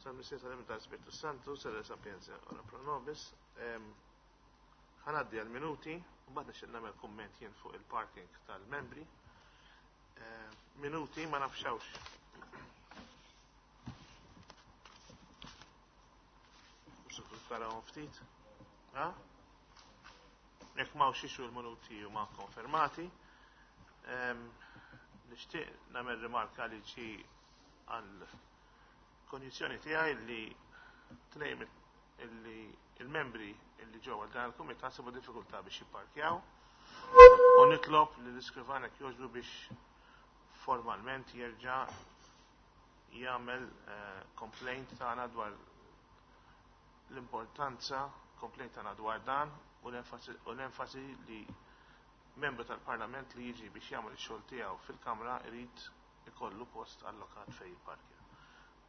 Sal-Missier tal-Iben tal-Spirtu Santu, sal Sapienza ora pro nobis. Ħanaddi għal-minuti, u mbagħad nixtieq nagħmel kumment jien fuq il-parking tal-membri. Minuti ma nafxawx. Tarawhom ftit. Ha? Jekk m'hawnx ixu l-minuti huma konfermati. Nixtieq nagħmel rimarka li ġi għal konjizzjoni tiegħi li tnejn illi il-membri illi ġew għal dan il-kumitat sabu diffikultà biex jipparkjaw u nitlob li l-iskrivan jekk jogħġbu biex formalment jerġa' jagħmel eh, complaint tagħna dwar l-importanza, complaint tagħna dwar dan u l-enfasi li membru tal-Parlament li jiġi biex jagħmel ix-xogħol tiegħu fil-Kamra irid ikollu post allokat fejn jipparkja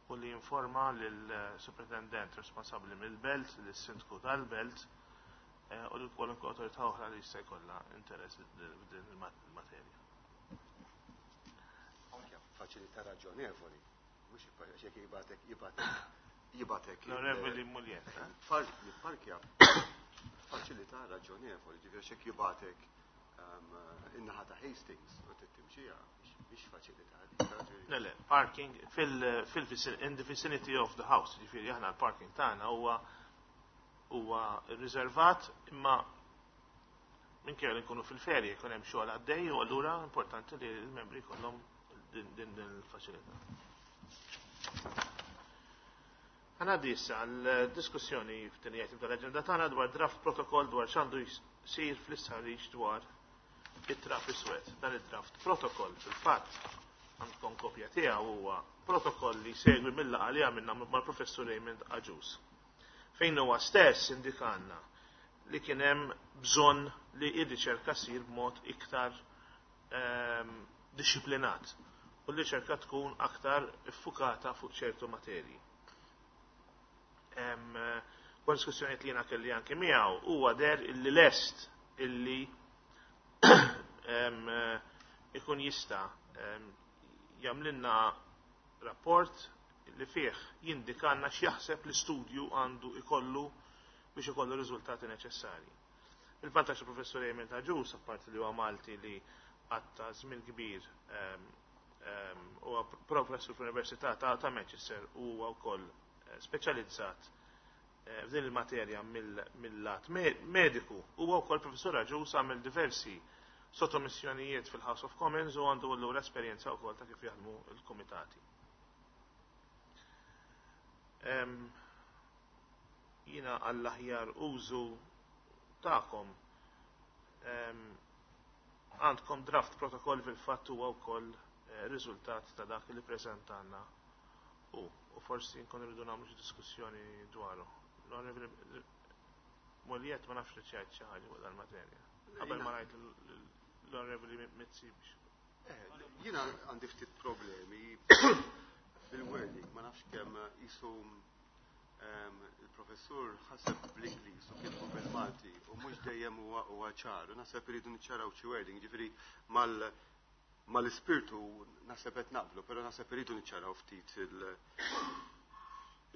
u li jinforma lill-Supretendent responsabbli mill-belt, lis-Sindku tal-belt eh, u lil kwalunkwe awtorità oħra li jista' jkollha interess f'din il-materja. Anke faċilità raġonevoli, mhux jekk jibgħatek jibgħatek jibgħatek. L-Onorevoli Muljetta. Jipparkja faċilità raġonevoli, ġifieri xek jibgħatek ehm, in-naħa ta' Hastings u tittimxija biex faċilità. Le, le, parking fil, in the vicinity of the house, ġifieri aħna l-parking tagħna huwa huwa riservat imma minkejja li nkunu fil-ferje jkun hemm xogħol għaddej u allura importanti li l-membri jkollhom din din il-faċilità. Ħanaddi issa għal diskussjoni f'tieni item tal-aġenda tagħna dwar draft protocol dwar x'għandu jsir fl-istħarriġ dwar it-trap iswed. Dan id-draft protocol fil-fatt għandkom kopja tiegħu huwa protokoll li jsegwi mill-laqgħa li għamilna mal-Professur Raymond Agius. Fejn huwa stess indikanna li kien hemm bżonn li r-riċerka ssir b'mod iktar ehm, dixxiplinat u l-riċerka tkun aktar iffukata fuq ċertu materji. Wara diskussjonijiet li jiena kelli anke miegħu huwa der illi lest illi ikun jista' jagħmlilna rapport li fih jindikanna x'jaħseb l-istudju għandu ikollu biex ikollu riżultati neċessarji. Il-vantaġġ tal-Professur Emil Agius, apparti li huwa Malti li għatta żmien kbir huwa professur fl-Università ta' Manchester u huwa wkoll eh, speċjalizzat eh, f'din il-materja mill-lat mediku. Huwa wkoll professur Agius għamel diversi sottomissjonijiet fil-House of Commons u għandu allura esperjenza wkoll ta' kif jaħdmu l-kumitati. Jiena għall-aħjar użu tagħkom għandkom draft protokoll fil-fatt huwa wkoll eh, riżultat ta' dak li preżentanna u u forsi nkun irridu nagħmlu xi diskussjoni dwaru. L-Onorevoli Molliet ma nafx li ċajt xi ħaġa fuq dal-materja. Qabel ma ngħid l-Onorevoli Mizzi biex. Eh, jiena għandi ftit problemi bil-wording, ma nafx kemm jisu il-professur ħaseb bl-Ingliż u kitbu bil-Malti u mhux dejjem huwa ċar. U naħseb iridu niċċaraw xi wording, ġifieri mal mal-ispirtu naħseb qed naqblu, però naħseb iridu niċċaraw ftit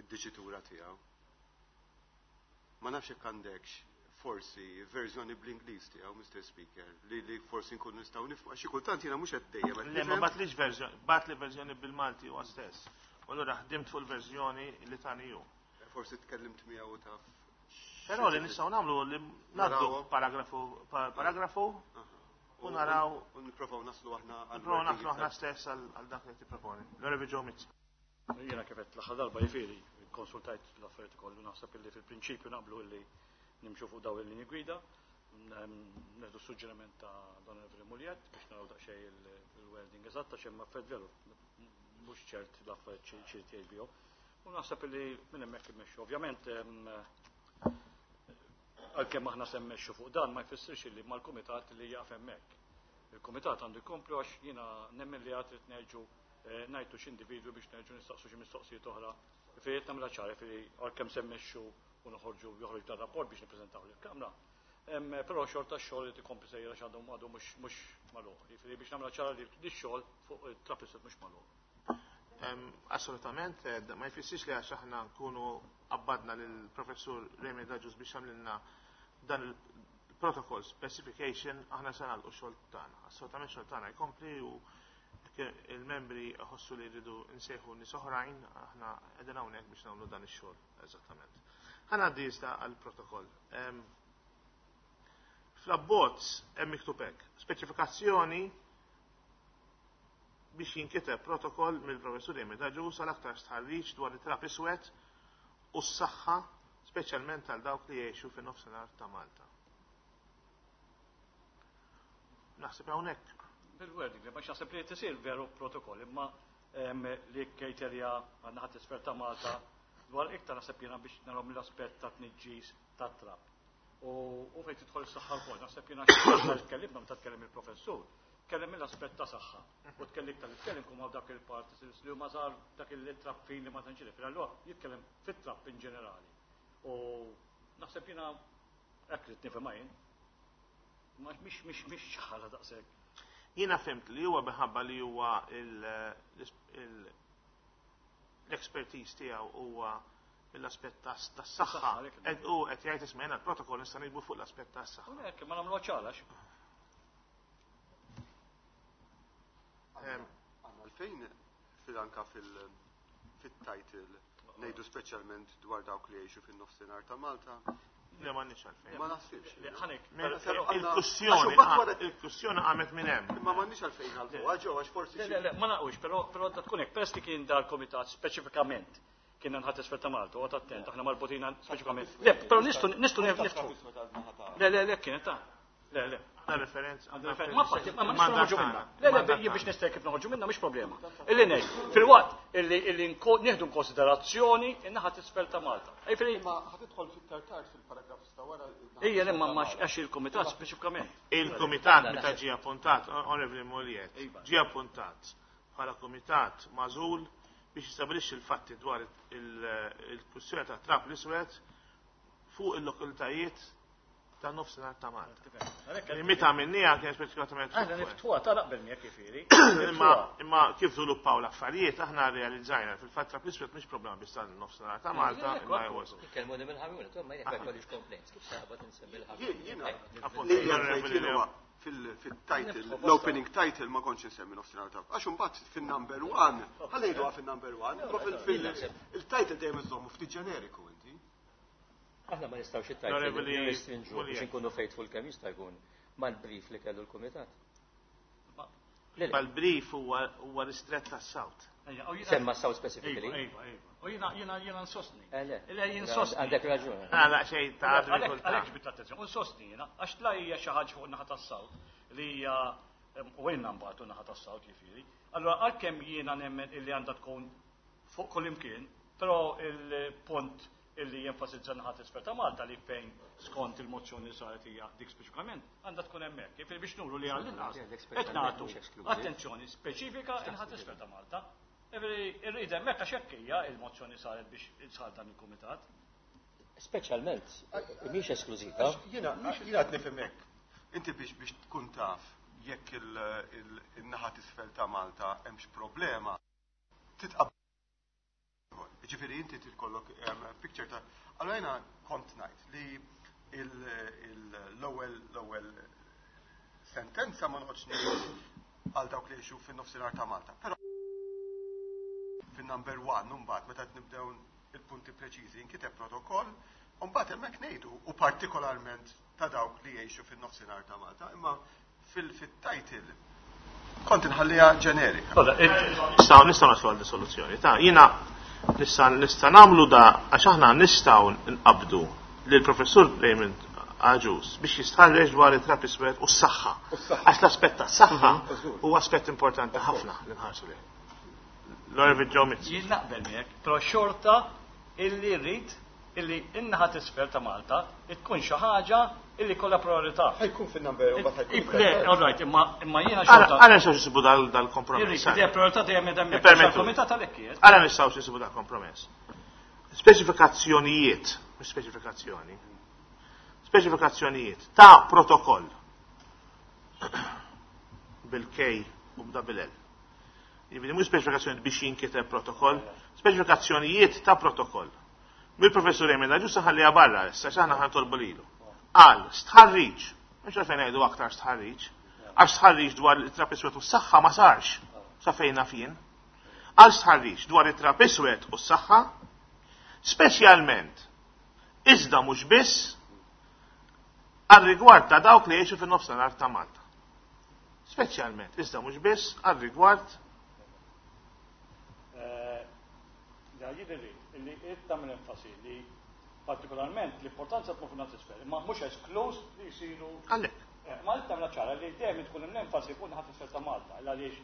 il-diċitura tiegħu. Ma nafx jekk għandekx forsi verżjoni bl-Ingliż tiegħu, Mr. Speaker, li li forsi nkunu nistgħu nifhmu għax xi kultant jiena mhux qed dejjem qed Le, ma batlix verżjoni, batli verżjoni bil-Malti huwa stess. U allura ħdimt fuq il-verżjoni li tani hu. Forsi tkellimt miegħu taf. Però li nistgħu nagħmlu li ngħaddu paragrafu paragrafu u naraw. U nipprovaw naslu aħna. Nipprovaw naslu aħna stess għal dak li tipproponi. L-Onorevoli Joe Mizzi. Jiena kif għedt l-aħħar darba jifieri kkonsultajt l-affarijiet kollu naħseb illi fil-prinċipju naqblu illi nimxu fuq dawn il-linji gwida. Neħdu suġġeriment ta' Don Muliet biex naraw daqsxejn il-wording eżatt għax hemm affarijiet veru mhux ċert l-affarijiet xi jgħid bihom. U naħseb illi minn hemmhekk immexxu. Ovvjament għalkemm aħna se mmexxu fuq dan ma jfissirx illi mal-kumitat li jaqaf hemmhekk. Il-kumitat għandu jkomplu għax jiena nemmen li għad trid nerġu eh, ngħidu x'individwi biex nerġu nistaqsu xi mistoqsijiet oħra. Jifieri qed nagħmilha ċara, jifieri għalkemm se mmexxu u noħorġu joħroġ dan rapport biex nippreżentaw lill-Kamra. Però xorta x-xogħol irid ikompli sejjer għax għadu għadu mhux mhux magħluq. Jifieri biex nagħmilha ċara li x-xogħol fuq it-traffic mhux magħluq. Assolutament, ma jfissirx li għax aħna nkunu qabbadna lill-Professur Raymond Agius biex jagħmlilna dan il-protocol specification aħna se nagħlqu x-xogħol tagħna. Assolutament xogħol tagħna jkompli u il-membri jħossu li jridu nsejħu nies oħrajn, aħna qegħdin hawnhekk biex nagħmlu dan ix-xogħol eżattament. Ħa ngħaddi iżda għall-protokoll. Fl-abbozz hemm miktub hekk, speċifikazzjoni biex jinkiteb protokoll mill-Professur Raymond Agius għal aktar stħarriġ dwar it-trab iswed u s-saħħa speċjalment għal dawk li jgħixu fin-nofsinhar ta' Malta. Naħseb hawnhekk. Bil-wording, ma naħseb li tisir veru protokoll, imma li kriterja għandna ħadd isfel ta' Malta dwar iktar naħseb jiena biex naraw mill-aspett ta' tniġġis tat-trab. U fejn tidħol is-saħħa wkoll, naħseb jiena xi tkellimna meta tkellem il-professur, tkellem mill-aspett ta' saħħa. U tkellem iktar li tkellem kum dak il-particles li huma żgħar dak il-trappin li ma tantx jidher. Allura jitkellem fit-trapp in ġenerali. U naħseb jiena hekk li nifhimha jien. Ma mhix mhix mhix ċara daqshekk. Jiena fhimt li huwa minħabba li huwa l-expertise tiegħu huwa mill-aspett tas-saħħa. U qed jgħid isma' jiena l-protokoll nista' niktbu fuq l-aspett tas-saħħa. Hekk ma nagħmluha ċara. Għandna għalfejn fil-anka fil-title ngħidu speċjalment dwar dawk li jgħixu fin-nofsinhar ta' Malta. Le m'għandniex għalfejn. Ma naħsibx. Ħanek. Il-kwistjoni qamet minn hemm. Imma m'għandniex għalfejn għalfu, ġew għax forsi. Le, le, ma naqwix, però da tkun hekk, peress li kien dal-komitat speċifikament kien nħat isfel ta' Malta, u attent, aħna marbutin speċifikament. Le, però nistgħu nistgħu niftħu. Le, le, le, kienet ta' Le, le. Għandna referenza. Ma fatti, ma nistgħu noħorġu minna. Le, le, jien biex nista' kif noħorġu minna mhix problema. Illi ngħid, filwaqt illi nieħdu konsiderazzjoni in-naħa t'isfel ta' Malta. Imma ħa tidħol fit-tartart fil-paragraf ta' wara. Ejja, le, ma għax il-kumitat speċifikament. Il-kumitat meta ġie appuntat, Onorevoli Mugliett, ġie appuntat bħala kumitat magħżul biex jistabilixxi l-fatti dwar il-kwistjoni ta' trab l-iswed fuq il-lokalitajiet ta' nofsinhar ta' Malta. Meta għamilniha kien speċifikatament. Aħna niftħuha ta' naqbel miegħek jifieri. Imma kif żviluppaw l-affarijiet aħna realizzajna fil-fatt trab l-iswed mhix problema biss tan-nofsinhar ta' Malta, imma jgħoż. Ikellmuni mill-Ħamrun, ma jekk jkollix complaints, kif sabat insemmi l-Ħamrun. Fil-title, l-opening title ma kontx insemmi nofsinhar ta' għax imbagħad fin-number 1, ħallejduha fin-number 1, imma fil-title dejjem iżommu ftit ġeneriku inti. Aħna ma nistgħux it-title nirrestrinġu biex inkunu faithful kemm jista' jkun mal-brief li kellu l-kumitat. Mal-brief huwa ristrett tas-South. Semma South specifically. Iva, iva. U jiena nsostni. Le, jien nsostni. Għandek raġun. Għala xejn ta' Għalhekk ġbit l-attenzjoni. U nsostni jiena, għax tla hija xi ħaġa fuq naħa tas-South li hija u għinna mbagħad naħa tas-South jifieri. Allura għalkemm jiena nemmen illi għandha tkun fuq kull imkien, però il-punt illi jenfasizza naħa t'isfel ta' Malta li fejn skont il-mozzjoni saret hija dik speċifikament għandha tkun hemmhekk. Jifieri biex nuru li għall-inqas qed nagħtu attenzjoni speċifika in-naħa t'isfel ta' Malta. Jifieri irrid hemmhekk għax hekk hija il-mozzjoni saret biex sar dan il-kumitat. Speċjalment, mhix esklużiva. Jiena qed nifhem hekk. Inti biex tkun taf jekk il-naħa t'isfel ta' Malta hemmx problema, titqab Ġifieri inti tkollok picture ta' allora jiena kont ngħid li l-ewwel sentenza ma noqgħodx ngħid għal dawk li jgħixu fin-nofsinhar ta' Malta. Però fin-number 1 mbagħad meta nibdew il-punti preċiżi inkiteb protokoll, u mbagħad hemmhekk ngħidu u partikolarment ta' dawk li jgħixu fin-nofsinhar ta' Malta, imma fil-title kont inħalliha ġenerika. Nistgħu naslu għal soluzzjoni. Ta' jiena nista' nagħmlu da għax aħna nistgħu nqabdu lil professur Raymond Agius biex jistħarreġ dwar it-trab iswed u s-saħħa. Għax l-aspett tas-saħħa huwa aspett importanti ħafna li nħarsu lejh. L-Onorevoli Joe Mizzi. Jien naqbel miegħek, però xorta illi rrid illi in-naħa t'isfel ta' Malta tkun xi ħaġa illi kollha priorità. Ħajkun fin-number u mbagħad ħajkun. Le, all right, imma jiena xorta. Ara nistgħu nsibu dal-kompromess. Irrid idea priorità dejjem hemm hemmhekk. Il-kumitat għalhekk qiegħed. Ara nistgħu nsibu dal-kompromess. Speċifikazzjonijiet, mhux speċifikazzjoni. Speċifikazzjonijiet ta' protokoll bil-K u b'double L. Jiġifieri mhux speċifikazzjonijiet biex jinkiteb protokoll, speċifikazzjonijiet ta' protokoll. Mill-professur Emil Agius ħalliha barra issa x'aħna ħa nitolbu lilu. Qal stħarriġ, mhux għalfejn ngħidu aktar stħarriġ, għax stħarriġ dwar it-trab iswed u s-saħħa ma sarx sa fejn naf jien. Għal stħarriġ dwar it-trab iswed u s-saħħa, speċjalment iżda mhux biss għar-rigward ta' dawk li jgħixu fin-nofsinhar ta' Malta. Speċjalment, iżda mhux biss għar-rigward Jidhirli li qed tagħmel enfasi li partikolarment l-importanza tmur fin-naħa t'isfel, imma mhux eskluż li jsiru. Għalhekk. Ma qed tagħmilha ċara li dejjem tkun hemm l-enfasi fuq naħa t'isfel ta' Malta. Għaliex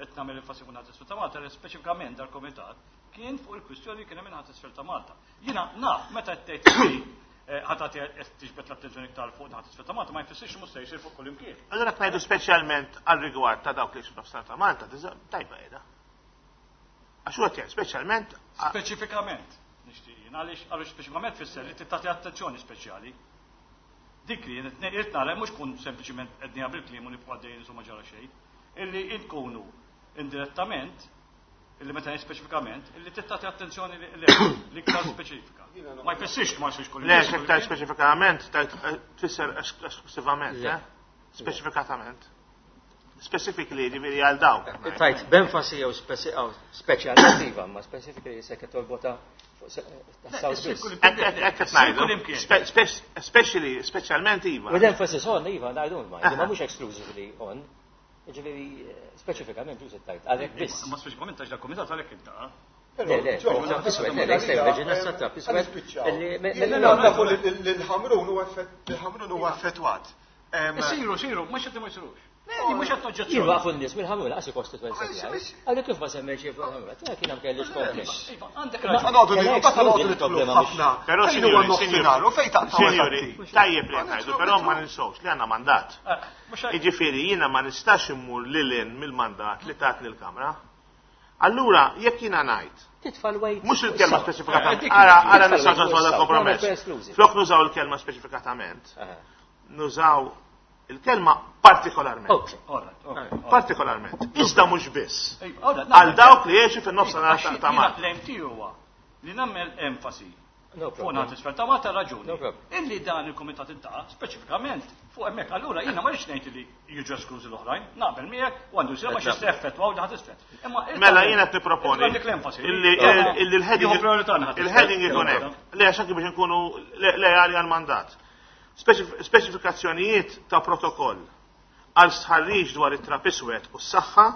qed nagħmel enfasi fuq naħa t'isfel ta' Malta li speċifikament dal-komitat kien fuq il-kwistjoni li kien hemm naħa t'isfel ta' Malta. Jiena naf meta qed tgħid li ħa tagħti qed tiġbed l-attenzjoni iktar fuq naħa t'isfel ta' Malta ma jfissirx mhux se jsir fuq kull imkien. Allura ngħidu speċjalment għal rigward ta' dawk li f'nofsinhar ta' Malta, tajba qiegħda. Għax huwa tiegħek speċjalment Speċifikament nixtieq jien għaliex għaliex speċifikament fisser li tagħti attenzjoni speċjali. Dik li jien qed nara mhux kun sempliċiment qed bil-kliem u nibqgħu għaddejjin insomma ġara xejn, illi nkunu indirettament illi meta ngħid speċifikament illi tagħti attenzjoni l-iktar speċifika. Ma jfissirx ma jsirx kull Le, iktar speċifikament tfisser esklusivament, eh? Speċifikatament. Specifically, ġifieri għal dawk. Tajt, b'enfasi jew speċjalment iva, ma specifically se torbota tas-South biss. Hekk qed ngħidu. Especially, speċjalment iva. With emphasis on, iva, I don't mind, ma mhux exclusively on. Ġifieri, speċifikament ġuż tajt, għalhekk biss. Ma speċifikament għax dal-komitat għalhekk inta. Le, le, trab iswed, le, le, jista' trab iswed. Nafu li l-Ħamrun huwa effettwat. Isiru, isiru, mhux qed ma jsirux. Le, mhux qed noġġezzjoni. Jien waqfu n-nies mill-Ħamrun laqas il-kostituenza tiegħi. Għalhekk kif ma semmejx fuq il-Ħamrun, ta' kien hemm kellix kompless. Għandek raġun. Nqogħdu nidħlu ħafna. Però Fejn huwa nofsinhar u fejn taqta' Sinjuri, tajjeb li ngħidu, però ma ninsewx li għandna mandat. Jiġifieri jiena ma nistax immur lil hinn mill-mandat li tatni l-Kamra. Allura, jekk jiena ngħid, Titfa' l-weight. Mhux il-kelma speċifikatament. Ara, ara nistgħu nagħmlu kompromess. Flok nużaw il-kelma speċifikatament, nużaw il-kelma partikolarment. Partikolarment. Iżda mhux biss. Għal dawk li jgħixu fin-nofsinhar ta' Malta. L-aim tiegħu huwa li nagħmel enfasi fuq naħa t'isfel ta' Malta raġuni. Illi dan il-kumitat intaqa' speċifikament fuq hemmhekk. Allura jiena ma rridx ngħid li jiġu esklużi l-oħrajn, naqbel miegħek u għandu jsir ma xi effettwaw naħa t'isfel. Mela jiena qed nipproponi illi il-heading ikun hekk. Le għax anke biex inkunu leali għal-mandat. Speċifikazzjonijiet ta' protokoll għal stħarriġ dwar it-trab iswed u s-saħħa,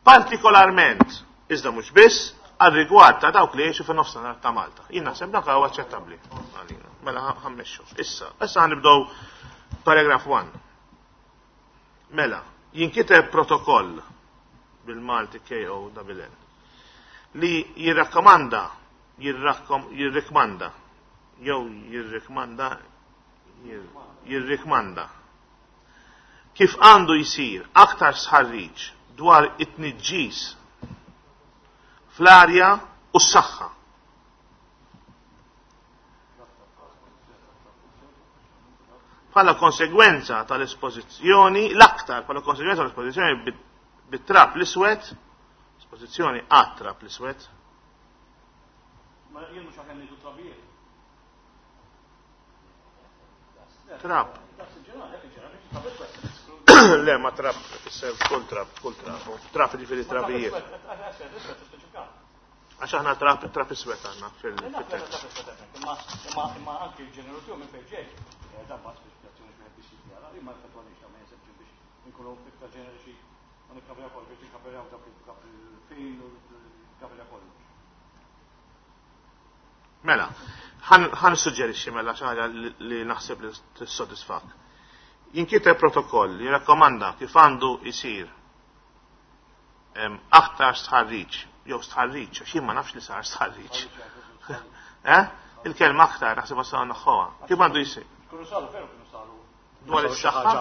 partikolarment, iżda mhux biss, għal rigward ta' dawk li jgħixu fin-nofsinhar ta' Malta. Jien naħseb dak huwa aċċettabbli għalina. Mela ħa mmexxu. Issa, issa ħa nibdew paragraph 1. Mela, jinkiteb protokoll bil-Malti KO double L li jirrakkomanda, jirrikmanda, jew jirrikmanda, jirrikmanda kif għandu jisir aktar stħarriġ dwar it-tniġġis fl-arja u s-saħħa. Bħala konsegwenza tal-espożizzjoni, l-aktar bħala konsegwenza tal-espożizzjoni bit-trab l-iswed, espożizzjoni għat-trab l-iswed. Ma jien mhux aħjar ngħidu trabijiet. Trab. Le, ma trab, fisser kull trab, kull trab. Trab ġifieri trabijiet. Għax aħna trab, trab iswed għandna fil-tekst. Imma anki il-ġeneru tiegħu minn fejn ġej. Dan ma speċifikazzjoni xi biex jiġi li ma effettwanix ma jinsebx biex inkunu iktar ġeneriċi u nikkaverjaw kollox biex nikkaverjaw dak il-fin u nikkaverjaw kollox. Mela, ħa nissuġġerixxi mela xi ħaġa li naħseb li tissodisfak. Jinkiteb protokoll li rakkomanda kif għandu jsir aktar stħarriġ, jew stħarriġ, għax jien ma nafx li sar stħarriġ. Eh? Il-kelma aktar naħseb wasal naħħoha. Kif għandu jsir? Kienu saru, veru kienu saru. Dwar is-saħħa?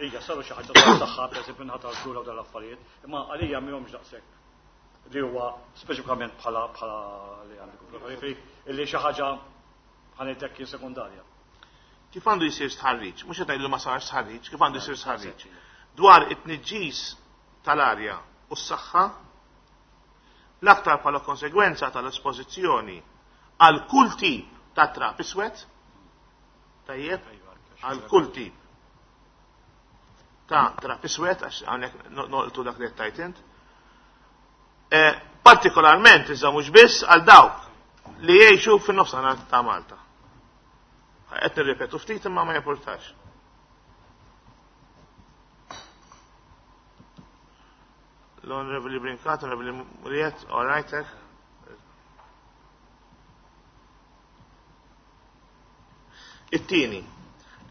Ija, saru xi ħaġa dwar is-saħħa, pereżempju nħata l-kura u dal-affarijiet, imma għalija mihomx daqshekk li huwa speċifikament bħala li għandek ukoll. Illi xi ħaġa ħanejtek kien sekundarja. Kif għandu jsir stħarriġ? Mhux qed ngħidu ma sarx stħarriġ, kif għandu jsir stħarriġ? Dwar it-tniġġis tal-arja u s-saħħa L-aktar bħala konsegwenza tal-espożizzjoni għal kull tip ta' trab iswed, tajjeb, għal kull tip ta' trab iswed, għax hawnhekk noqtu dak li qed tgħid int, partikolarment iżda mhux biss għal dawk li jgħixu fin-nofsinhar ta' Malta. Qed nirripetu ftit imma ma jimpurtax. L-Onorevoli Brincat, Onorevoli Muriet, all right, eh? It-tieni,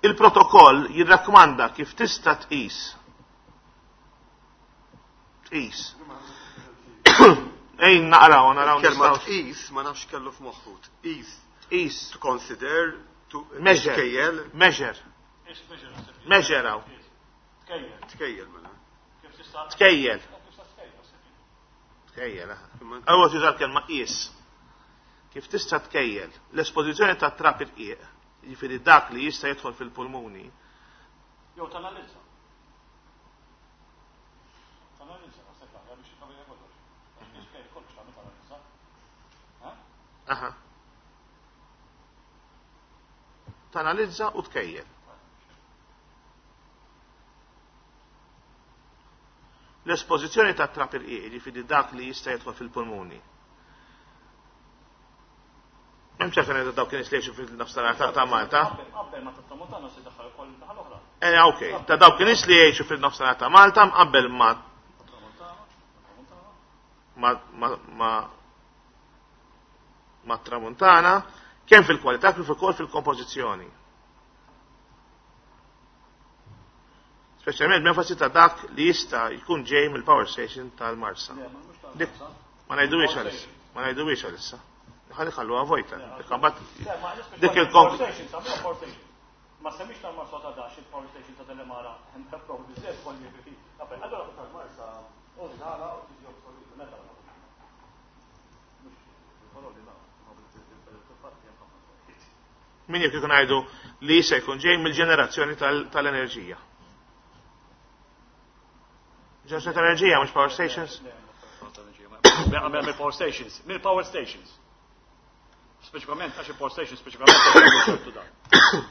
il-protokoll jirrakkomanda kif tista' tqis tqis. Ejn naqraw, naraw. Kelma tqis ma nafx kellu f'moħħu. Tqis. Tqis. To consider, to measure. Tkejjel. Measure. Measure hawn. Tkejjel mela. Tkejjel. Tkejjel, aha. Ewwel tuża l-kelma qis. Kif tista' tkejjel l-espożizzjoni ta' trab irqiq, jiġifieri dak li jista' jidħol fil-pulmuni. Jew tanalizza. Tanalizza, naħseb l-aħjar biex jikkaverja kollox. Għax kif tkejjel kollox tagħmel tanalizza. Aha. Tanalizza u tkejjel. L-espożizzjoni ta' trab irqiq, jiġifieri dak li jista' jidħol fil-pulmuni. Hemm ċerta ngħidu dawk in-nies li jgħixu fil-nofsinhar ta' Malta. Qabel ma tat-tramuntana se daħħal ukoll naħa l-oħra. Eh, ok, ta' dawk in-nies li jgħixu fil-nofsinhar ta' Malta mqabbel ma' ma' ma' ma' tramuntana kemm fil-kwalità kif ukoll fil-kompożizzjoni. Speċjalment b'enfasi ta' dak li jista' jkun ġej mill-power station tal-Marsa. Dik ma ngħiduhiex għalissa. Ma ngħiduhiex għalissa. Ħalli ħalluha vojta. Dik il-konk. Ma semmix tal-Marsa ta' dax il-power station ta' Delimara, hemm propju biżżejjed kolli Qabel, allura tal-Marsa u nara u tiġi obsoleta meta. Min jekk ikun ngħidu li jista' jkun ġej mill-ġenerazzjoni tal-enerġija. Ġenerazzjoni tal-enerġija mhux power stations? Mill-power stations, mill-power stations. Speċifikament għax il-power stations speċifikament dan.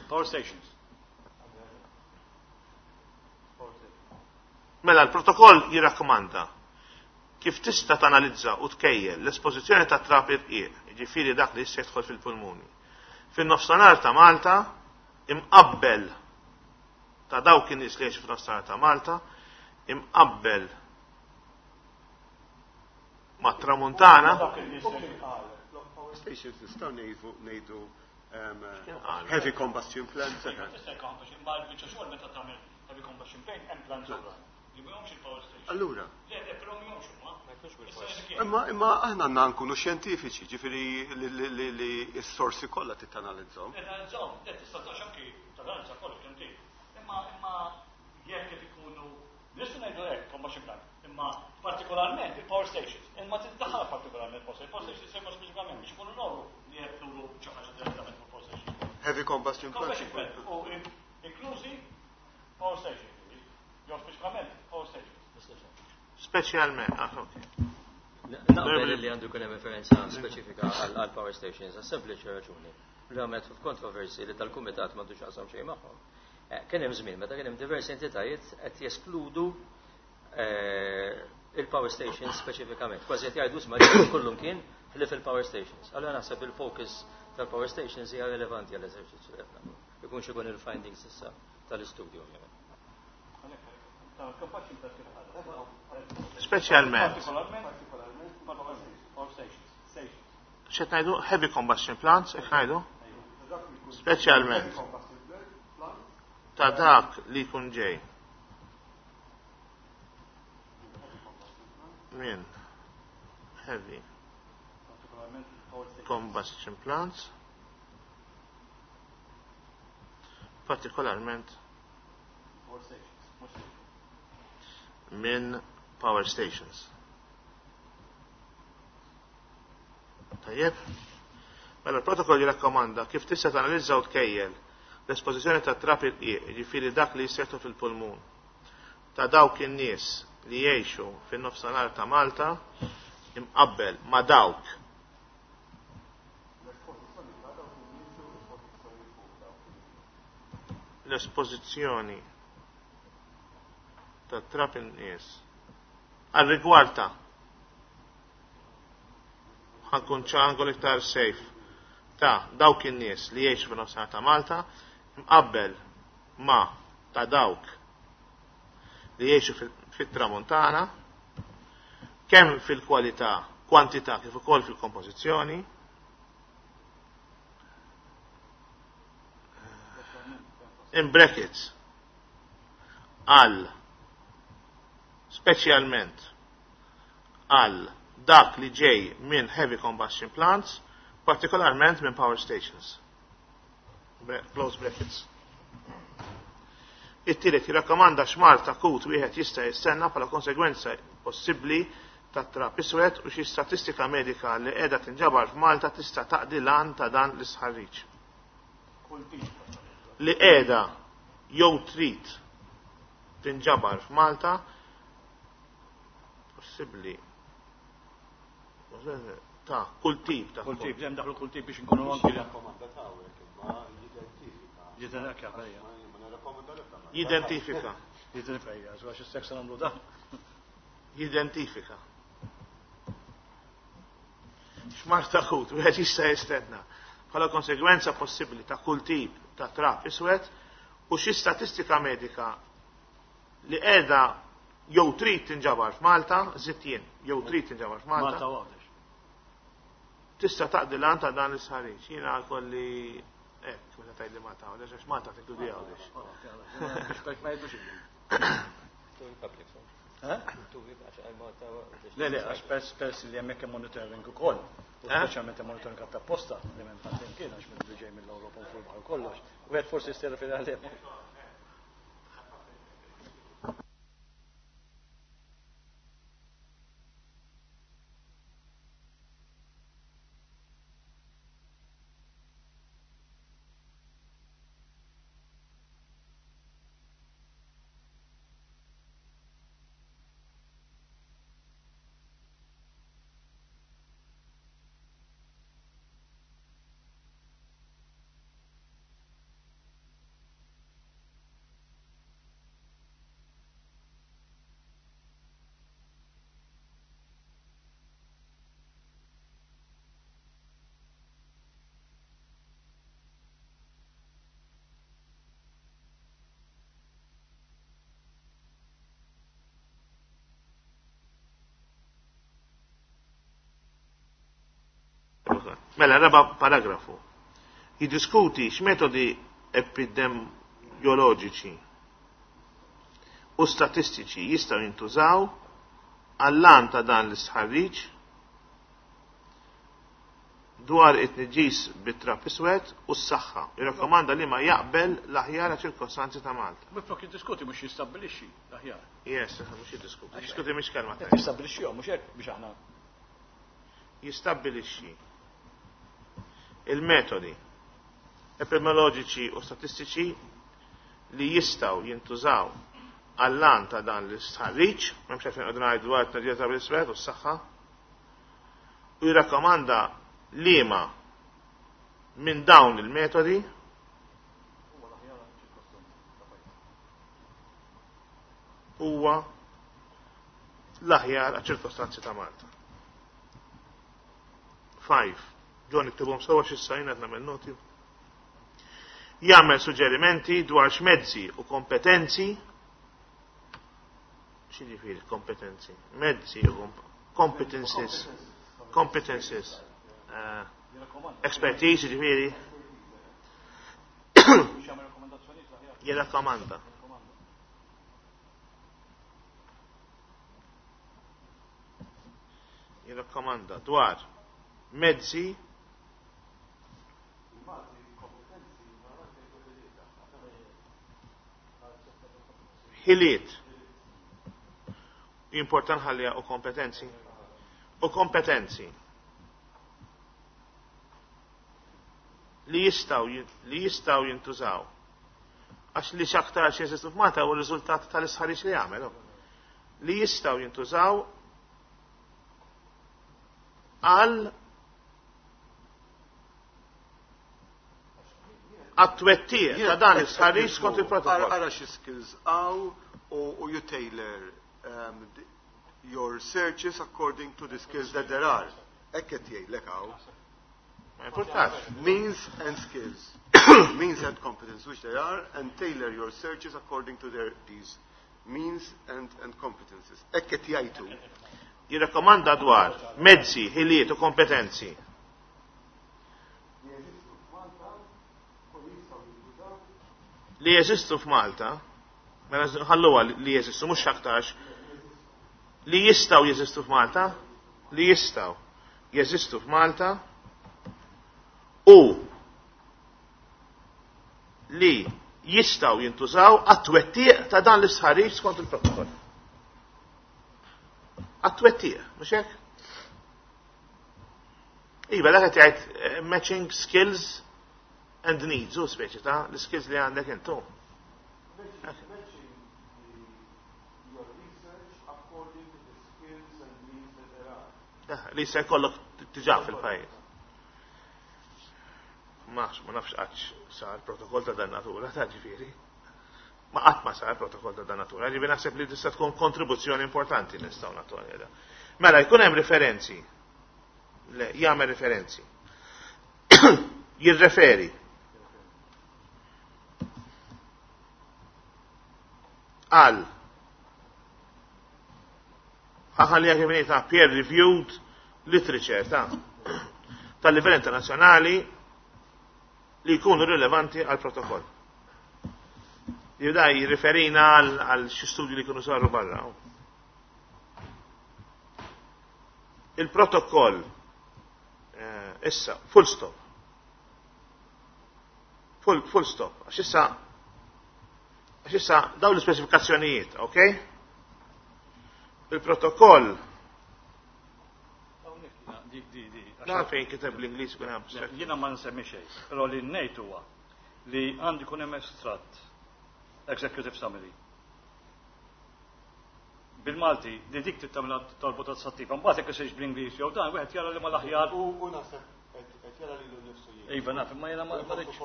Power stations. Mela l-protokoll jirrakkomanda kif tista' tanalizza u tkejjel l-espożizzjoni ta' trab irqiq, jiġifieri dak li jista' jidħol fil-pulmuni. Fin-nofsinhar ta' Malta imqabbel ta' dawk in-nies li jgħixu fin-nofsinhar ta' Malta imqabbel ma' tramuntana. Power stations nistgħu ngħidu heavy combustion plants. Ma l-biċċa xogħol meta tagħmel heavy combustion plant hemm plants oħra. Li mhumiex il-power station. Allura. Le, le, però mhumiex huma. Imma imma aħna għandna nkunu xjentifiċi, ġifieri li s-sorsi kollha tittanalizzhom. Tanalizzhom, le tista' tgħax anki tanalizza kollox kemm trid. Imma imma jekk qed ikunu nistgħu ngħidu hekk combustion plant, imma partikolarment il-power stations. Imma tiddaħħal partikolarment power stations. Power stations semma speċifikament biex ikunu noru li qed turu xi ħaġa direttament fuq power stations. Heavy combustion plant. Combustion plant u inklużi power stations. Jew speċifikament power stations. Speċjalment, ah, ok. Naqbel li għandu jkun hemm referenza speċifika għal power stations, għas sempliċi raġuni. Ramet f'kontroversi li tal-kumitat m'għandux x'jaqsam xejn magħhom. Kien hemm żmien meta kien hemm diversi entitajiet qed jeskludu il-power stations speċifikament. Kważi qed jgħidu sma' li kullum kien ħlief il-power stations. Allura naħseb il-focus tal-power stations hija relevanti għall-eżerċizzju li qed nagħmlu. Ikun xi jkun il-findings issa tal-istudju ovvjament. Speċjalment. X'qed ngħidu heavy combustion plants, hekk ngħidu? Speċjalment ta' dak li jkun ġej. Min heavy combustion plants, partikolarment minn power stations. Tajjeb? Mela l-protokoll jirrakkomanda kif tista' tanalizza u tkejjel l-espożizzjoni ta' trab irqiq, jiġifieri dak li jisseħħu fil-pulmun, ta' dawk in-nies li jgħixu fin-nofsinhar ta' Malta imqabbel ma' dawk l-espożizzjoni ta' trab in-nies għal rigward ta' ħankun ċangol iktar safe ta' dawk in-nies li jgħixu fin-nofsinhar ta' Malta mqabbel ma' ta' dawk li jgħixu fit-Tramuntana kemm fil-kwalità, kwantità kif ukoll fil-kompożizzjoni. In brackets għal speċjalment għal dak li ġej minn heavy combustion plants, partikolarment minn power stations. Close brackets. It-tielet jirrakkomanda x'mard akut wieħed jista' jistenna bħala konsegwenza possibbli tat-trab iswed u xi statistika medika li qiegħda tinġabar f'Malta tista' taqdi l-għan ta' dan l-istħarriġ. Li qiegħda jew trid tinġabar f'Malta possibbli ta' kull tip ta' kull tip, hemm daħlu kull tip biex inkunu anki rakkomanda ta' imma jidentifika. Jidentifika. Jidentifika, għax is-seks nagħmlu dan. Jidentifika. X'mard akut, wieħed jista' jistenna bħala konsegwenza possibbli ta' kull tip ta' trab iswed u xi statistika medika li qiegħda jew trid tinġabar f'Malta, żidt jien, jew trid tinġabar f'Malta. Malta u Għawdex. Tista' taqdi l-għan ta' dan l-istħarriġ. Jiena kolli hekk meta tgħidli Malta Għawdex għax Malta tinkludi Għawdex. Le, le, għax pers li hemmhekk hemm monitoring ukoll. U speċjalment hemm monitoring għat apposta li m'hemm ħadd imkien għax minn li ġej mill-Ewropa u fuq il-baħar kollox. Wieħed forsi jista' jirreferi għalih. Mela, raba paragrafu. Jiddiskuti x'metodi epidemioloġiċi u statistiċi jistgħu jintużaw għall-għan ta' dan l-istħarriġ dwar it-tniġġis bit-trab iswed u s-saħħa. Jirrakkomanda li ma jaqbel l-aħjar ċirkostanzi ta' Malta. Minflok jiddiskuti mhux jistabbilixxi l-aħjar. Yes, mhux jiddiskuti. Jiddiskuti mhix kelma tajba. Jistabbilixxihom mhux hekk biex aħna. Jistabbilixxi il-metodi epidemioloġiċi u statistiċi li jistgħu jintużaw għall-għan ta' dan l-istħarriġ, m'hemmx għalfejn qogħdu ngħidu dwar it-tnedija ta' l-iswed u s-saħħa, u jirrakkomanda liema minn dawn il-metodi huwa l-aħjar għaċ-ċirkostanzi ta' Malta. 5. Ġon iktibhom sewa x'issa jien qed nagħmel noti. Jagħmel suġġerimenti dwar x'mezzi u kompetenzi x'jiġifieri kompetenzi? Mezzi u competences. Competences. Expertise jiġifieri. Jirrakkomanda. Jirrakkomanda dwar mezzi ħiliet important ħallija u kompetenzi u kompetenzi li jistgħu li jistgħu jintużaw għax li x'aktar xi jeżistu f'Malta huwa r-riżultat tal-istħarriġ li jagħmel li jistgħu jintużaw għal għat-twettiq ta' dan is-sħarriġ skont il-protokoll. Ara xi skills hawn u you tailor your searches according to the skills that there are. Hekk qed jgħidlek hawn. Ma importax. Means and skills. Means and competence, which they are, and tailor your searches according to their these means and, and competences. Hekk qed jgħidu. Jirrakkomanda dwar mezzi, ħiliet u kompetenzi. Li jeżistu f'Malta, mela ħalluha li jeżistu mhux aktarx, li jistgħu jeżistu f'Malta, li jistgħu jeżistu f'Malta u li jistgħu jintużaw għat-twettiq ta' dan l-istħarriġ skont il-protokoll. Għat-twettiq, mhux hekk? Iva, dak qed jgħid matching skills and needs, u speċi ta' l-skills li għandek intu. Li se jkollok diġà fil-pajjiż. Ma nafx qatt sar protokoll ta' dan natura ta' ġifieri. Ma qatt ma sar protokoll ta' dan natura, ġifieri naħseb li tista' tkun kontribuzzjoni importanti nistgħu nagħtu għalha. Mela jkun hemm referenzi. Le, jagħmel referenzi. Jirreferi. Għal ħalli kif ta' peer reviewed literature ta' tal-livell internazzjonali li jkunu rilevanti għal protokoll. Jibda jirriferina għal xi studji li jkunu saru barra. Il-protokoll issa, full stop. Full stop. Għax issa dawn l-ispeċifikazzjonijiet, ok? Il-protokoll Dan fejn kiteb l-Ingliż kun hemm. Jiena ma nsemmi xejn, però li ngħid huwa li għandu jkun hemm estratt executive summary. Bil-Malti, li dik tittamla torbot tassattiva, mbagħad jekk isirx bl-Ingliż jew dan wieħed jara li mal-aħjar. U naħseb qed jara lilu nnifsu jien. Iva naf, imma jiena ma rridx.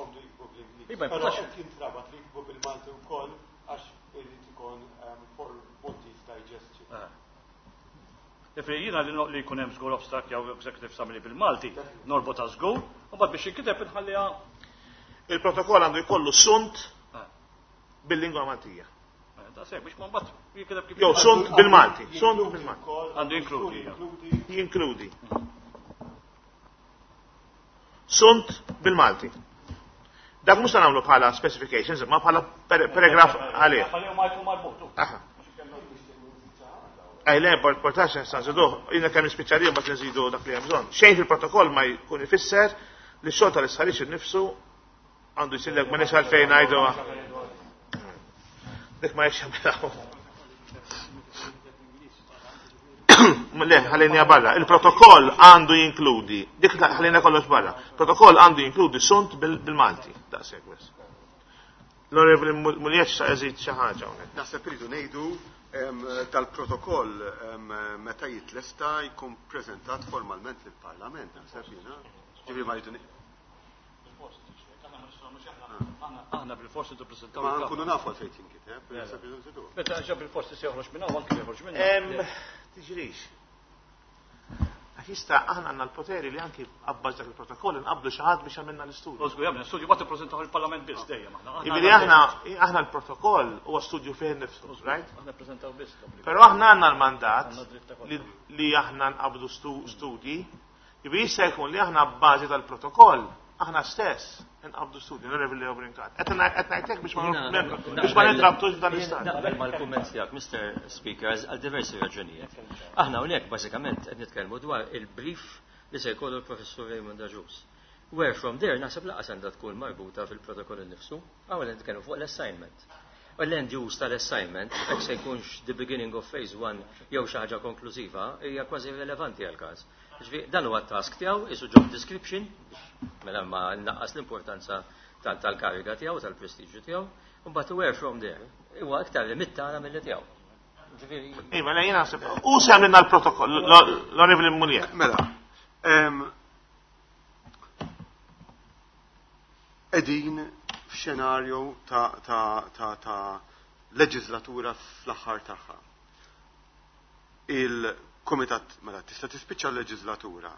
Iva, però qed jintrabat li jiktbu bil-Malti wkoll għax irid ikun for Maltese digestion. Ġifieri jiena li jkun hemm żgur abstract jew executive summary bil-Malti, norbotha żgur, u mbagħad biex jinkiteb inħalliha. Il-protokoll għandu jkollu sunt bil-lingwa Maltija. Da sek biex ma mbagħad jinkiteb kif Jew sunt bil-Malti, sunt bil-Malti. Għandu jinkludi. Jinkludi. Sunt bil-Malti. Dak mhux se nagħmlu bħala specifications, imma bħala paragraf għalih. Ħalli ma jkun marbut. Aha. Ej, le, portax nista' nżiduh, jiena kemm nispiċċa mbagħad nżidu dak li hemm bżonn. Xejn fil-protokoll ma jkun ifisser li x-xogħol tal-istħarriġ innifsu għandu jsirlek ma nix għalfejn ngħidu. Dik ma jekx jagħmilha. Le, ħallinja barra. Il-protokoll għandu jinkludi, dik ħallinja kollox barra. Protokoll għandu jinkludi sunt bil-Malti. Daqshekk biss. L-Onorevoli Muliex sa eżid xi ħaġa hawnhekk. Naħseb iridu ngħidu tal-protokoll meta jitlesta jkun preżentat formalment lill-Parlament, naħseb jiena. Ġifieri ma rridu Aħna bil-forsi tippreżentaw. Ma nkunu nafu għalfejn jinkiteb, naħseb irridu nżiduh. Meta ġa bil-forsi se joħroġ minn hawn anke joħroġ minn Tiġrix. Għax jista' aħna għandna l-poteri li anki abbaż dak il-protokoll inqabdu xi ħadd biex għamilna l-istudju. Żgur jagħmel studju mbagħad ippreżentaw il-Parlament biss dejjem aħna. Jiġifieri aħna l-protokoll huwa studju fih innifsu, right? Aħna ppreżentaw biss. Però aħna għandna l-mandat li aħna nqabdu studji, jiġifieri jista' jkun li aħna bbażi tal-protokoll aħna stess nqabdu studju, Onorevoli Leo Brincat. Qed ngħidlek biex ma nintrabtux f'dan l-istat. Naqbel mal-kumment tiegħek, Mr. Speaker, għal diversi raġunijiet. Aħna hawnhekk bażikament qed nitkellmu dwar il-brief li se jkollu l-Professur Raymond Agius. Where from there naħseb laqas għandha tkun marbuta fil-protokoll innifsu, hawn qed nitkellmu fuq l-assignment. U l-end use tal-assignment, jekk se jkunx the beginning of phase 1 jew xi ħaġa konklużiva, hija kważi irrelevanti għall-każ. Ġifieri dan huwa t-task tiegħu, isu job description, mela ma nnaqqas l-importanza tal-kariga tiegħu, tal-prestiġju tiegħu, u mbagħad where from there huwa iktar limit tagħna milli tiegħu. Ġifieri Iva, le jiena naħseb u se għamilna l-protokoll, l-Onorevoli Mullier. Mela, Qegħdin f'xenarju ta' leġislatura fl-aħħar tagħha. Il-Kumitat mela tista' tispiċċa l-leġislatura.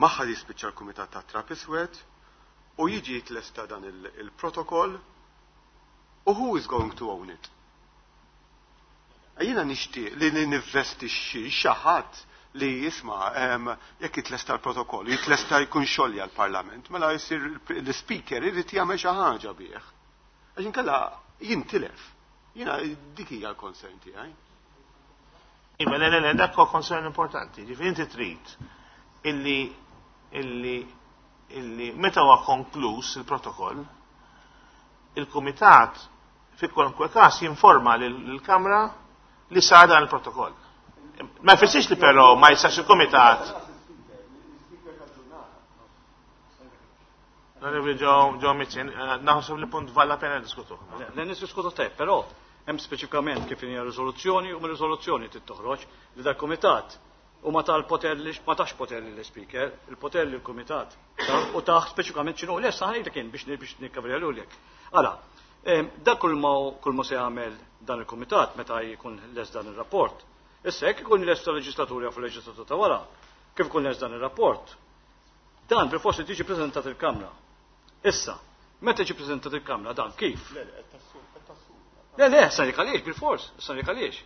Magħha jispiċċa l-Kumitat ta' Trap Iswed u jiġi jitlesta dan il-protokoll u who is going to own it? Jiena nixtieq li ninvestixxi xi ħadd li jisma' jekk jitlesta l-protokoll, jitlesta jkun xolja l-Parlament, mela jsir l-Speaker irid jagħmel xi ħaġa bih. Għax inkella jintilef. Jiena dik hija l-concern tiegħi. Iva, le, le, le, dak huwa concern importanti. Ġifieri inti trid illi meta huwa konkluż il-protokoll, il-Kumitat fi kwalunkwe każ jinforma lill-Kamra li sar dan il-protokoll. Ma jfissirx li però ma jistax il-Kumitat. L-Onorevoli Joe Mizzi, naħseb li punt valla pena diskutu. Le, nisdiskutu tajb, però hemm speċifikament kif hija riżoluzzjoni u mir-riżoluzzjoni trid toħroġ li dal-Kumitat u ma tal-poter li ma tax poter lill-Speaker, il-poter lill-Kumitat. U taħ speċifikament x'inhu le sa ħajlek kien biex nikkavrja lulek. Ara, dak kull ma se jagħmel dan il-Kumitat meta jkun les dan ir-rapport. Issa jekk ikun les tal-leġislatura fuq leġislatura ta' wara, kif ikun les dan ir-rapport, dan bil-forsi tiġi preżentat il-Kamra. Issa, meta tiġi preżentat il-Kamra dan kif? Le, le, qed tassu, qed tassu. Le, le, sa jekk għaliex bil-fors, sa jekk għaliex.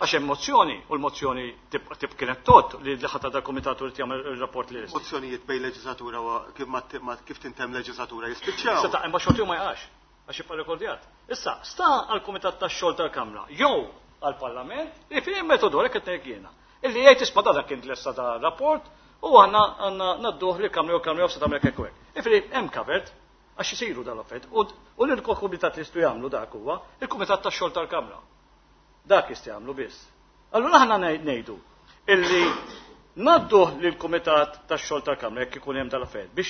Għax hemm mozzjoni, u l-mozzjoni tib kienet tot li ħadd da komitat u li jagħmel ir-rapport li jista'. Mozzjonijiet bejn leġislatura u kif ma ma kif tintemm leġislatura jispiċċaw. Issa ta' imma xogħol ma jaqax, għax jibqa' rekordjat. Issa, sta għall-Kumitat tax-xogħol tal-Kamra jew għall-Parlament li fih metodu għalhekk qed ngħid jiena. Illi jgħid isma' dan kien tlesta da rapport u aħna għandna nadduh lill-Kamra jew l-Kamra jew se tagħmel hekk u hekk. Ifri hemm covered għax isiru dal-affarijiet u l-kumitat li jistgħu jagħmlu dak huwa il-Kumitat tax-xogħol tal-Kamra. Dak jista' jagħmlu biss. Allura aħna ngħidu illi nadduh lill-Kumitat tax-xogħol tal-Kamra jekk ikun hemm dal-affarijiet biex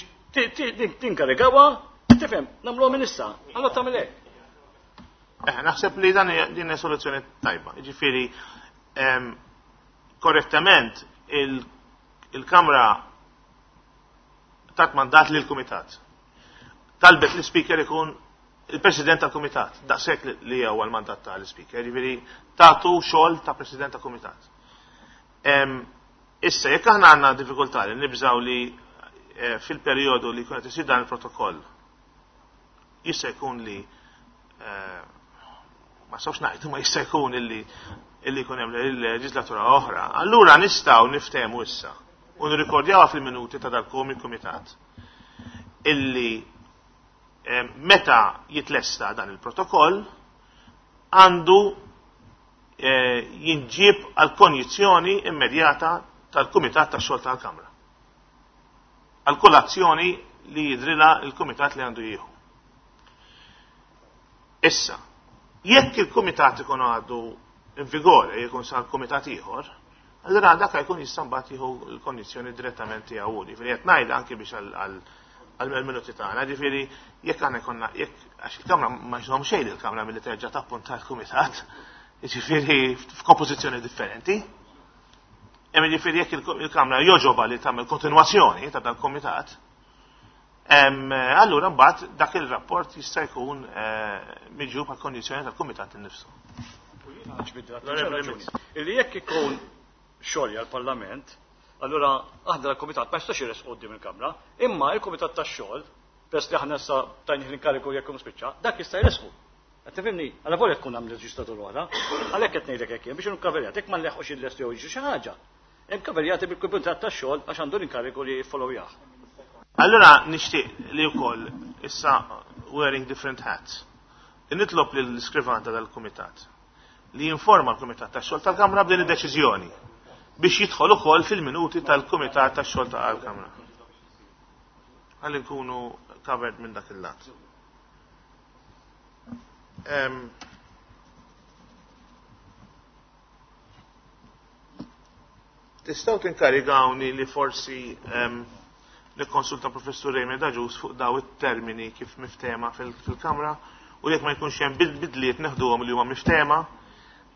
tinkarigawha, tifhem, nagħmluha minn issa, allura tagħmel hekk. Naħseb li din hija soluzzjoni tajba. Jiġifieri, korrettament il-Kamra tat mandat lill-Kumitat. Talbet l-Speaker ikun il-President tal-Kumitat, daqshekk li huwa l-mandat tal-Speaker, jiġifieri tagħtu xogħol ta' President tal-Kumitat. Issa, jekk aħna għandna diffikultà li nibżgħu li fil-perjodu li jkun qed isir dan il-protokoll, jista' jkun li ma sawx ngħidu, ma jista' jkun illi jkun hemm leġislatura oħra, allura nistgħu niftehmu issa u nirrikordjawha fil-minuti ta' dal-kumitat illi meta jitlesta dan il-protokoll għandu jinġieb għal konjizzjoni immedjata tal-Kumitat tax-xogħol tal-Kamra. Għal kull azzjoni li jidrilha il-Kumitat li għandu jieħu. Issa, jekk il-Kumitat ikun għadu in vigore, jekk sar kumitat ieħor, allura dak jkun jista' mbagħad jieħu l-kondizzjoni direttament tiegħu. Ġifieri qed ngħid anke biex għal minuti tagħna, ġifieri jekk aħna jkollna, jekk għax il-Kamra ma jżomm xejn il-Kamra milli terġa' tappunta l-Kumitat, ġifieri f'kompożizzjoni differenti. Hemm ġifieri jekk il-Kamra joġoba li tagħmel kontinwazzjoni ta' dal-Kumitat, allura mbagħad dak il-rapport jista' jkun miġjub għal kondizzjoni tal-Kumitat innifsu. Illi jekk ikun xogħol għall-Parlament, allura aħna l-Kumitat ma jistax jires quddiem il-Kamra, imma il-Kumitat tax-xogħol, peress li aħna issa tajnih l-inkariku jekk ikun spiċċa, dak jista' jresqu. Qed tifhimni? Alla volja tkun hemm leġislatur oħra, għalhekk qed ngħidlek hekk jien biex inkun kaverjat, jekk ma nleħqux il-lest jew jiġri xi ħaġa. Hemm kaverjati bil-Kumitat tax-xogħol għax għandu l-inkariku li jiffollowjah. Allura nixtieq li wkoll issa wearing different hats. Nitlob lill-iskrivanta tal-Kumitat li jinforma l-Kumitat tax-xogħol tal-Kamra b'din id-deċiżjoni biex jidħol ukoll fil-minuti tal-Kumitat tax-xogħol tal-Kamra. Ħalli nkunu covered minn dak il-lat. Tistgħu tinkarigawni li forsi nikkonsulta Professur Raymond Agius fuq daw it-termini kif miftehma fil-Kamra u jekk ma jkunx hemm bidliet neħduhom li huma miftehma,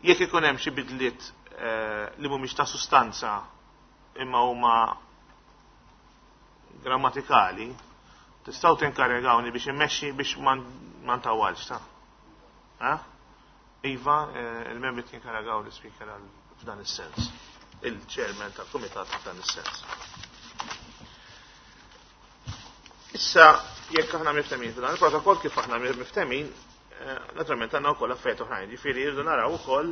jekk ikun hemm xi bidliet li mhumiex ta' sustanza imma huma grammatikali, tistgħu tinkarigawni biex immexxi biex ma ntawwalx ta'. Iva, il-membri tinkaragaw l-ispeaker f'dan is-sens. Il-chairman tal-kumitat f'dan is-sens. Issa, jekk aħna miftemin f'dan il-protokoll kif aħna miftemin, naturalment għandna wkoll affarijiet oħrajn, ġifieri jridu naraw ukoll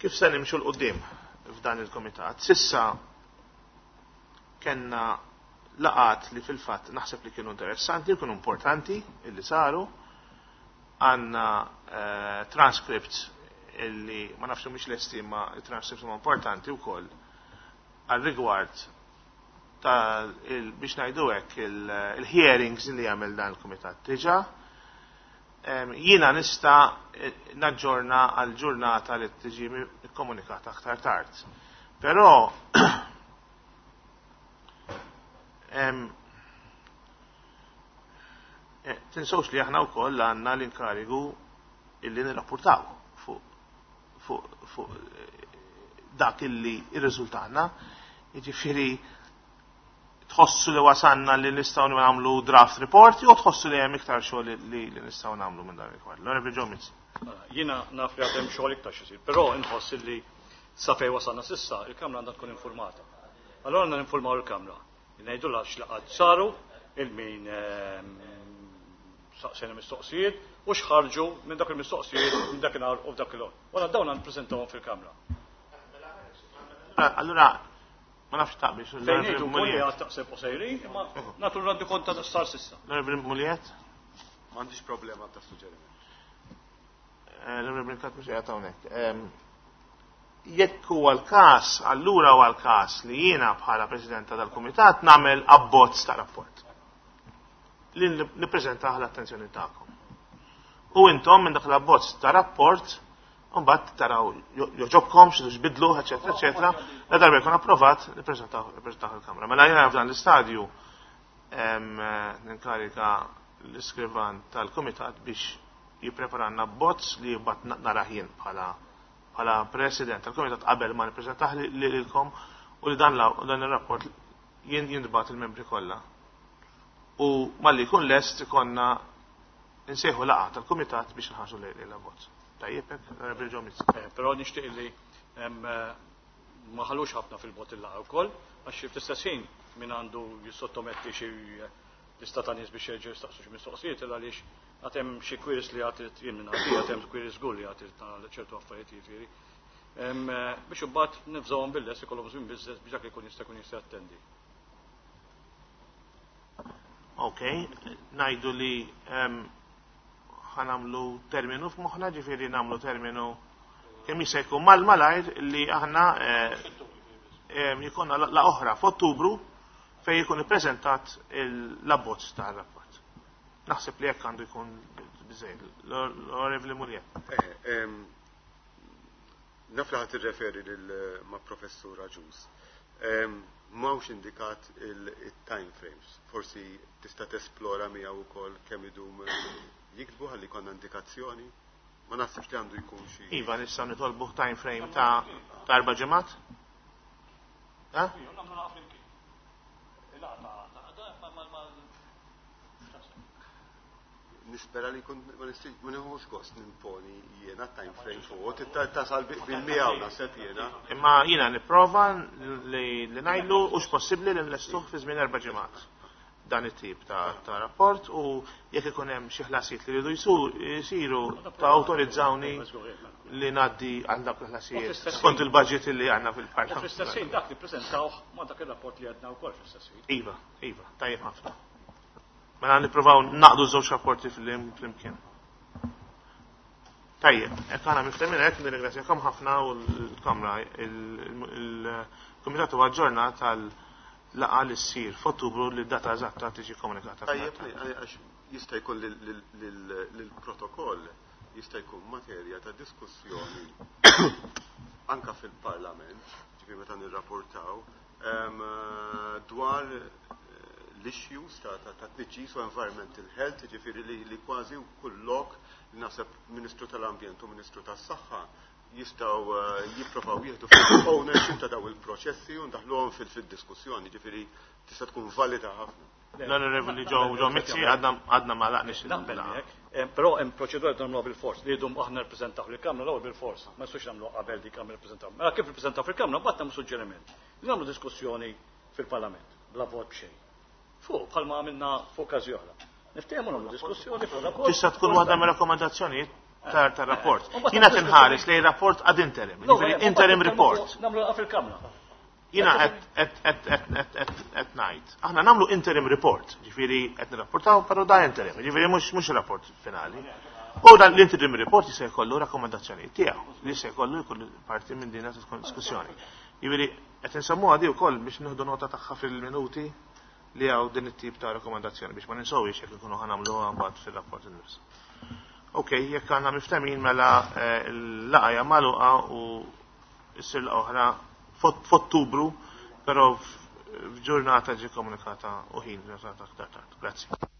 kif se nimxu 'l quddiem f'dan il-kumitat. Sissa kellna laqat li fil-fatt naħseb li kienu interessanti, kienu importanti illi saru. Għandna transcripts illi ma nafx mhux lesti ma transcripts huma importanti wkoll għal rigward ta' biex ngħidu hekk il-hearings li jagħmel dan il-kumitat diġà. Jiena nista' naġġorna għal ġurnata li tiġi kkomunikata aktar tard. Però tinsewx li aħna wkoll għandna l-inkarigu illi nirrapportaw fuq dak illi irriżultana. Jiġifieri tħossu li wasanna li nistgħu nagħmlu draft report jew tħossu li hemm iktar xogħol li nistgħu nagħmlu minn dan il-kwad. L-Onorevoli Joe Mizzi. Jiena naf li għad hemm xogħol iktar x'isir, però inħoss li sa fejn wasalna s'issa il-Kamra għandha tkun informata. Allora għandna ninformaw il-Kamra. Ngħidu x'laqgħat saru, il-min saqsejna mistoqsijiet u x'ħarġu minn dak il-mistoqsijiet minn dakinhar u f'dak il-ħin. Wara dawn nippreżentawhom fil-Kamra. Allura ma nafx taqbix. Fejn ngħidu wkoll li għad taqseb u sejrin, imma nagħtu randi kont ta' sar s'issa. L-Onorevoli Muliet? M'għandix problema ta' suġġeriment. L-Onorevoli Brincat mhux qiegħed hawnhekk. Jekk huwa l-każ, allura huwa l-każ li jiena bħala President tal-Kumitat nagħmel abbozz ta' rapport li nippreżentah l-attenzjoni tagħkom. U intom minn dak l-abbozz ta' rapport mbagħad taraw joġobkom xi tbidlu, eċetera, eċetera, la darba jkun approvat nippreżentaw il-Kamra. Mela jiena f'dan l-istadju ninkarika l-iskrivan tal-Kumitat biex jippreparanna abbozz li mbagħad narah jien bħala President tal-Kumitat qabel ma nippreżentah lilkom u li dan ir-rapport jintbagħat il-membri kollha. U malli jkun lest ikonna nsejħu laqgħa tal-Kumitat biex nħarsu lejn l-abbozz. Tajjeb hekk, Onorevoli Joe Mizzi. Però nixtieq li ma ħallux ħafna fil-bot il-laqgħa wkoll, għax fl-istess ħin min għandu jissottometti xi lista ta' nies biex jerġgħu jistaqsu xi mistoqsijiet għaliex għad hemm xi queries li għad jien minn għandi, għad hemm queries żgur li għad ċertu affarijiet jiġifieri. Biex imbagħad nifżawhom bil-lest ikollhom żmien biżżejjed biex dak li jkun jista' jkun jista' jattendi. Ok, ngħidu li ħanamlu terminu f'moħħna, ġifieri nagħmlu terminu kemm jista' jkun mal-malajr li aħna jkollna la oħra f'Ottubru fejn jkun ippreżentat l-abbozz tar-rapport. Naħseb li hekk għandu jkun biżejjed. L-Onorevoli Muliet. Naf li ħadd irreferi lil ma' Professur Agius. M'hawnx indikat il-time frames. Forsi tista' tesplora miegħu wkoll kemm idum jiktbu ħalli jkollna indikazzjoni. Ma naħsibx li għandu jkun xi. Iva, nistgħu nitolbu time frame ta' 4 ġimgħat? Ha? Nispera li jkun ma nieħux gost nimponi jiena time frame fuq, tasal bil-miegħu naħseb jiena. Imma jiena nipprova li ngħidlu hux possibbli li nlestuh fi żmien 4 ġimgħat dan it-tip ta' rapport u jekk ikun hemm xi ħlasijiet li jridu jsiru ta' awtorizzawni li ngħaddi għal dawk il-ħlasijiet skont il-budget li għandna fil-Parlament. U fl-istess ħin dak nippreżentawh ma' dak ir-rapport li għedna wkoll fl-istess ħin. Iva, iva, tajjeb ħafna. Mela nippruvaw naqdu żewġ rapporti flimkien. Tajjeb, hekk aħna miftemin hekk, nirringrazzjakom ħafna u l-Kamra, il-Kumitat huwa aġġornat għal laqgħa li ssir f'Ottubru li d-data eżatta tiġi komunikata. Tajjeb, għax jista' jkun l-protokoll jista' jkun materja ta' diskussjoni anka fil-Parlament, ġifieri meta nirrapportaw, dwar l-issues ta' tniġġis u environmental health, ġifieri li kważi kull lok li naħseb Ministru tal-Ambjent u Ministru tas-Saħħa jistgħu jipprovaw jieħdu full ownership ta' daw il-proċessi u ndaħluhom fil-diskussjoni, ġifieri tista' tkun valida ħafna. L-Onorevoli Joe Mizzi għadna ma laqniex. Naqbel miegħek, però hemm proċedura li nagħmluha bil-fors li jdum aħna nirrepreżentaw lill-Kamra l-ewwel bil-fors, ma nistgħux nagħmluha qabel dik għamel nirrepreżentaw. Mela kif nirrepreżentaw fil-Kamra mbagħad nagħmlu suġġeriment. Li nagħmlu diskussjoni fil-Parlament bla vot b'xejn. Fuq bħalma għamilna fuq każi oħra. Niftehmu nagħmlu diskussjoni fuq rapport. Tista' tkun waħda mir-rakkomandazzjonijiet tar-rapport. Jiena tinħares lejn rapport ad interim, jiġifieri interim report. Nagħmlu fil-Kamra. Jiena qed ngħid. Aħna nagħmlu interim report, ġifieri qed nirrapportaw però da interim, ġifieri mhux rapport finali. U dan l-interim report jista' jkollu rakkomandazzjonijiet tiegħu li jista' jkollu jkun parti minn din diskussjoni. Jiġifieri qed insemmuha di wkoll biex nieħdu nota tagħha fil-minuti li hawn din it-tip ta' rakkomandazzjoni biex ma ninsewx jekk ikunu ħa nagħmluha mbagħad fir-rapport innifsu. Ok, jekk għandna miftemin mela l-laqgħa hija magħluqa u ssir laqgħa oħra f'Ottubru, però f'ġurnata ġi komunikata u ħin ġurnata aktar tard. Grazzi.